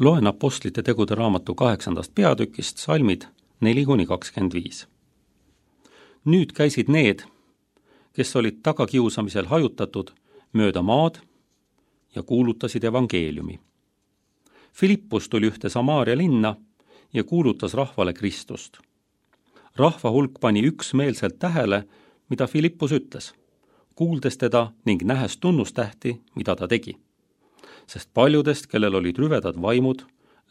Loen Apostlite tegude raamatu 8. peatükist salmid 4-25. Nüüd käisid need, kes olid tagakiusamisel hajutatud, mööda maad ja kuulutasid evangeeliumi. Filippus tuli ühte Samaaria linna ja kuulutas rahvale Kristust. Rahva hulk pani üksmeelselt tähele, mida Filippus ütles, kuuldes teda ning nähes tunnustähti, mida ta tegi. Sest paljudest, kellel olid rüvedad vaimud,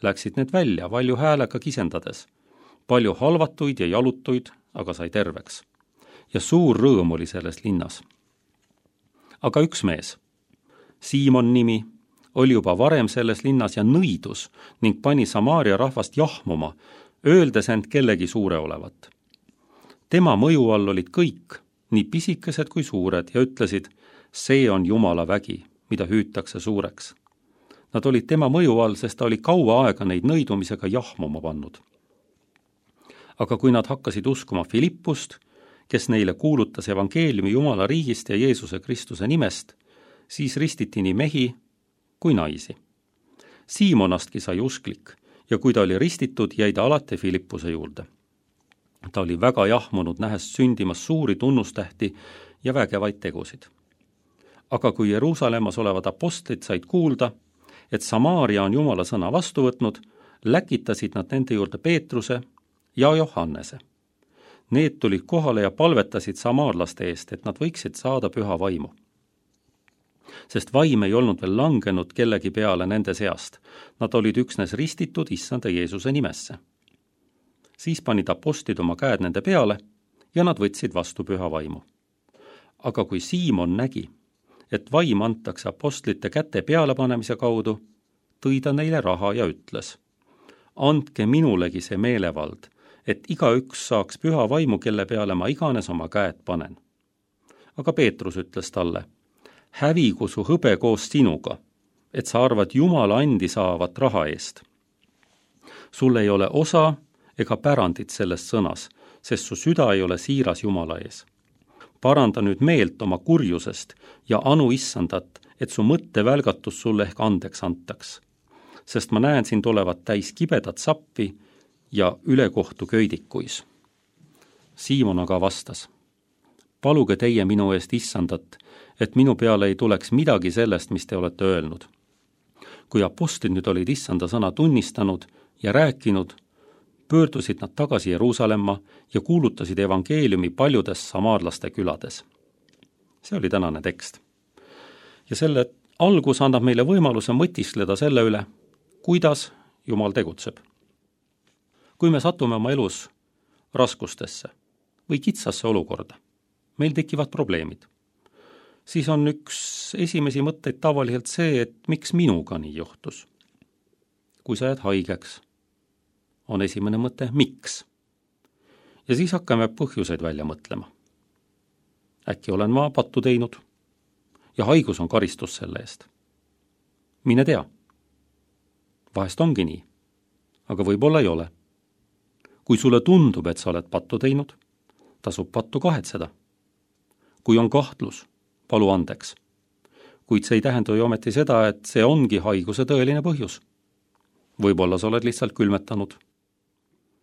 läksid need välja valju häälega kisendades. Palju halvatuid ja jalutuid, aga sai terveks. Ja suur rõõm oli selles linnas. Aga üks mees, Siimon nimi, oli juba varem selles linnas ja nõidus ning pani Samaaria rahvast jahmuma, öeldes end kellegi suure olevat. Tema mõju all olid kõik, nii pisikesed kui suured, ja ütlesid, see on Jumala vägi, mida hüütakse suureks. Nad olid tema mõju all, sest ta oli kaua aega neid nõidumisega jahmuma pannud. Aga kui nad hakkasid uskuma Filippust, kes neile kuulutas evangeeliumi Jumala riigist ja Jeesuse Kristuse nimest, siis ristiti nii mehi kui naisi. Siimonastki sai usklik ja kui ta oli ristitud, jäi ta alati Filippuse juurde. Ta oli väga jahmunud, nähes sündimas suuri tunnustähti ja vägevaid tegusid. Aga kui Jeruusalemmas olevad apostlid said kuulda, et Samaaria on Jumala sõna vastu võtnud, läkitasid nad nende juurde Peetruse ja Johannese. Need tulid kohale ja palvetasid samaarlaste eest, et nad võiksid saada püha vaimu. Sest vaim ei olnud veel langenud kellegi peale nende seast. Nad olid üksnes ristitud issanda Jeesuse nimesse. Siis panid apostlid oma käed nende peale ja nad võtsid vastu püha vaimu. Aga kui Siimon nägi, et vaim antakse apostlite käte pealepanemise kaudu, tõi ta neile raha ja ütles, andke minulegi see meelevald, et igaüks saaks püha vaimu, kelle peale ma iganes oma käed panen. Aga Peetrus ütles talle, hävigu su hõbe koos sinuga, et sa arvad Jumala andi saavat raha eest. Sul ei ole osa ega pärandit selles sõnas, sest su süda ei ole siiras Jumala ees. Paranda nüüd meelt oma kurjusest ja anu issandat, et su mõttevälgatus sulle ehk andeks antaks. Sest ma näen sind olevat täis kibedat sappi ja ülekohtu köidikuis. Siimon aga vastas, paluge teie minu eest issandat, et minu peale ei tuleks midagi sellest, mis te olete öelnud. Kui apostlid nüüd olid issanda sõna tunnistanud ja rääkinud, pöördusid nad tagasi Jeruusalemma ja kuulutasid evangeeliumi paljudes samaarlaste külades. See oli tänane tekst. Ja selle algus annab meile võimaluse mõtiskleda selle üle, kuidas Jumal tegutseb. Kui me satume oma elus raskustesse või kitsasse olukorda, meil tekivad probleemid, siis on üks esimesi mõtteid tavaliselt see, et miks minuga nii juhtus. Kui sa jääd haigeks, on esimene mõte, miks? Ja siis hakkame põhjuseid välja mõtlema. Äkki olen ma pattu teinud ja haigus on karistus selle eest. Mine tea. Vahest ongi nii, aga võib-olla ei ole. Kui sulle tundub, et sa oled pattu teinud, tasub pattu kahetseda. Kui on kahtlus, palu andeks. Kuid see ei tähenda ju ometi seda, et see ongi haiguse tõeline põhjus. Võib-olla sa oled lihtsalt külmetanud.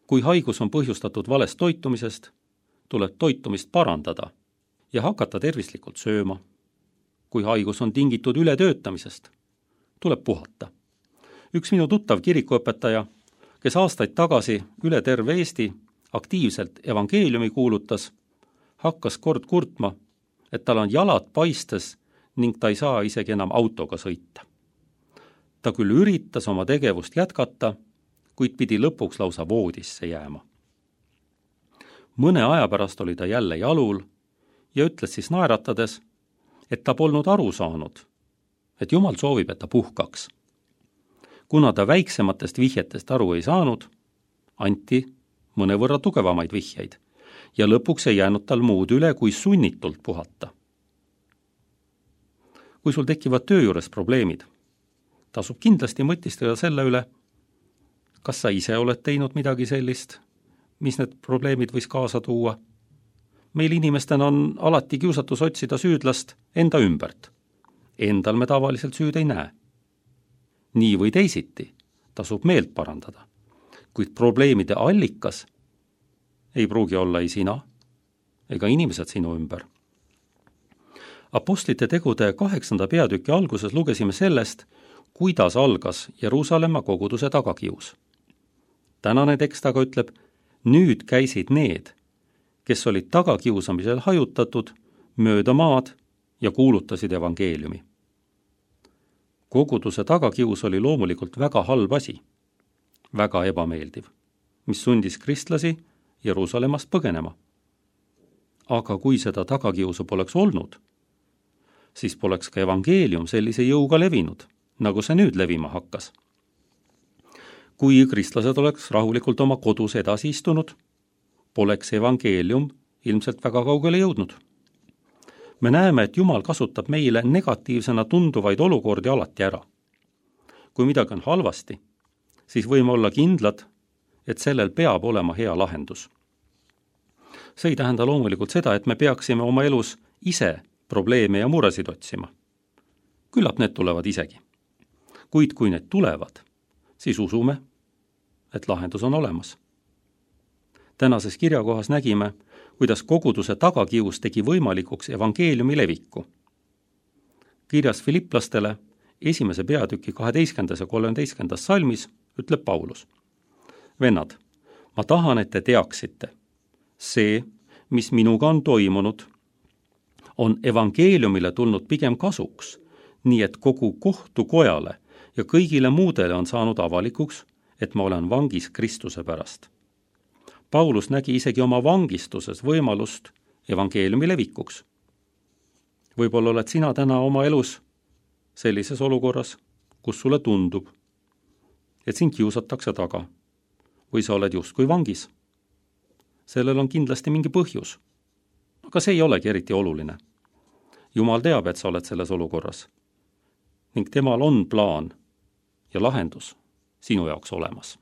Kui haigus on põhjustatud valest toitumisest, tuleb toitumist parandada ja hakata tervislikult sööma. Kui haigus on tingitud ületöötamisest, tuleb puhata. Üks minu tuttav kirikuõpetaja, kes aastaid tagasi üle terve Eesti aktiivselt evangeeliumi kuulutas, hakkas kord kurtma, et tal on jalad paistes ning ta ei saa isegi enam autoga sõita. Ta küll üritas oma tegevust jätkata, kuid pidi lõpuks lausa voodisse jääma. Mõne aja pärast oli ta jälle jalul ja ütles siis naeratades, et ta polnud aru saanud, et Jumal soovib, et ta puhkaks. Kuna ta väiksematest vihjetest aru ei saanud, anti mõnevõrra tugevamaid vihjeid ja lõpuks ei jäänud tal muud üle, kui sunnitult puhata. Kui sul tekivad töö juures probleemid, tasub kindlasti mõtistada selle üle, kas sa ise oled teinud midagi sellist, mis need probleemid võis kaasa tuua. Meil inimestena on alati kiusatus otsida süüdlast enda ümbert. Endal me tavaliselt süüd ei näe. Nii või teisiti tasub meelt parandada. Kuid probleemide allikas ei pruugi olla ei sina ega inimesed sinu ümber. Apostlite tegude 8. peatüki alguses lugesime sellest, kuidas algas Jeruusalemma koguduse tagakius. Tänane tekst aga ütleb, nüüd käisid need, kes olid tagakiusamisel hajutatud, mööda maad ja kuulutasid evangeeliumi. Koguduse tagakius oli loomulikult väga halb asi, väga ebameeldiv, mis sundis kristlasi Jeruusalemmast põgenema. Aga kui seda tagakiusu poleks olnud, siis poleks ka evangeelium sellise jõuga levinud, nagu see nüüd levima hakkas. Kui kristlased oleks rahulikult oma kodus edasi istunud, poleks evangeelium ilmselt väga kaugele jõudnud. Me näeme, et Jumal kasutab meile negatiivsena tunduvaid olukordi alati ära. Kui midagi on halvasti, siis võime olla kindlad, et sellel peab olema hea lahendus. See ei tähenda loomulikult seda, et me peaksime oma elus ise probleeme ja muresid otsima. Küllap need tulevad isegi. Kuid kui need tulevad, siis usume, et lahendus on olemas. Tänases kirjakohas nägime, kuidas koguduse tagakius tegi võimalikuks evangeeliumi leviku. Kirjas Filiplastele 1. peatüki 12. ja 13. salmis ütleb Paulus. Vennad, ma tahan, et te teaksite, see, mis minuga on toimunud, on evangeeliumile tulnud pigem kasuks, nii et kogu kohtukojale ja kõigile muudele on saanud avalikuks, et ma olen vangis Kristuse pärast. Paulus nägi isegi oma vangistuses võimalust evangeeliumi levikuks. Võib-olla oled sina täna oma elus sellises olukorras, kus sulle tundub, et sind kiusatakse taga või sa oled justkui vangis. Sellel on kindlasti mingi põhjus, aga see ei olegi eriti oluline. Jumal teab, et sa oled selles olukorras ning temal on plaan ja lahendus sinu jaoks olemas.